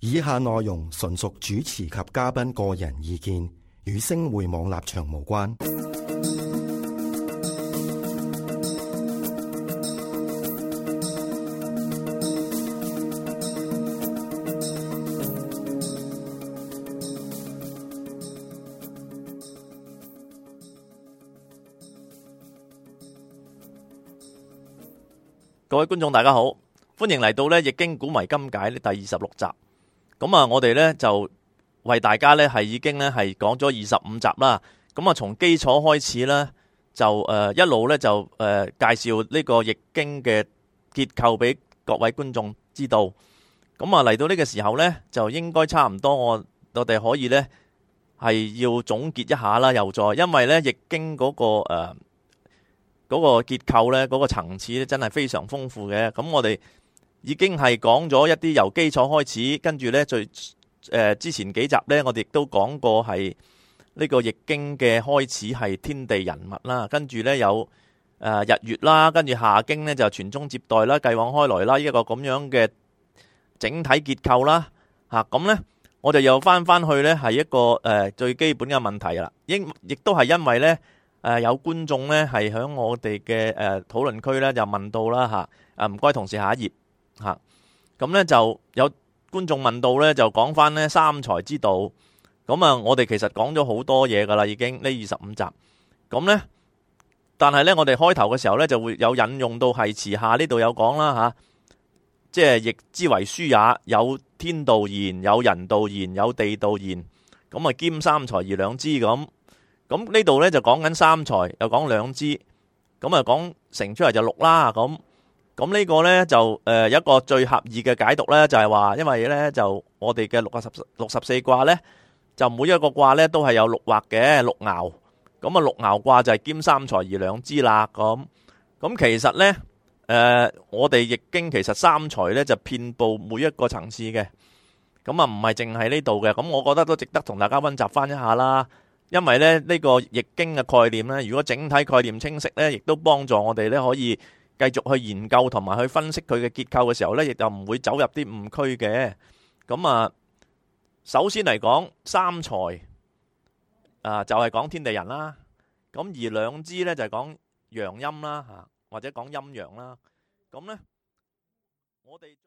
以下內容純屬主持及嘉賓個人意見，與星匯網立場無關。各位觀眾大家好，歡迎嚟到呢《易經古謎今解》呢第26集。咁啊，我哋呢就為大家呢係已經呢係講咗25集啦。咁啊，從基礎開始呢，就一路呢就介紹呢個易經嘅結構俾各位觀眾知道。咁啊，嚟到呢個時候呢，就應該差唔多我哋可以呢係要總結一下啦。又再因為呢易經嗰個結構呢，嗰個層次呢，真係非常豐富嘅。咁我哋已經係講咗一啲由基礎開始，跟住呢之前幾集呢，我哋亦都講過係呢個易經嘅開始係天地人物啦，跟住呢有日月啦，跟住下經呢就傳宗接代啦，繼往開來啦，呢一個咁樣嘅整體結構啦。咁呢我哋又翻去呢係一個最基本嘅問題啦。亦都係因為呢。有觀眾呢係喺我哋嘅討論區呢就問到啦嚇，唔該同事下一頁嚇。咁呢就有觀眾問到呢，就講翻呢三才之道。咁啊，我哋其實講咗好多嘢噶啦，已經呢25集。咁呢，但係呢，我哋開頭嘅時候呢就會有引用到係詞下呢度有講啦嚇，即係易之為書也，有天道言，有人道言，有地道言。咁啊，兼三才而兩之咁。咁呢度呢就講緊三才，又講兩支，咁啊講成出嚟就六啦。咁呢個呢就有一個最合意嘅解讀呢，就係話，因為呢就我哋嘅64卦呢，就每一個卦呢都係有六畫嘅六爻，咁啊六爻卦就係兼三才而兩之啦。咁其實呢，我哋易經其實三才呢就遍佈每一個層次嘅，咁啊唔係淨係呢度嘅。咁我覺得都值得同大家溫習翻一下啦。因為咧呢個易經嘅概念呢，如果整體概念清晰呢，亦都幫助我哋呢可以繼續去研究同埋去分析佢嘅結構嘅時候呢，亦就唔會走入啲誤區嘅。咁啊，首先嚟講三才就係講天地人啦。咁而兩支呢，就係講陽陰啦，或者講陰陽啦。咁呢，我哋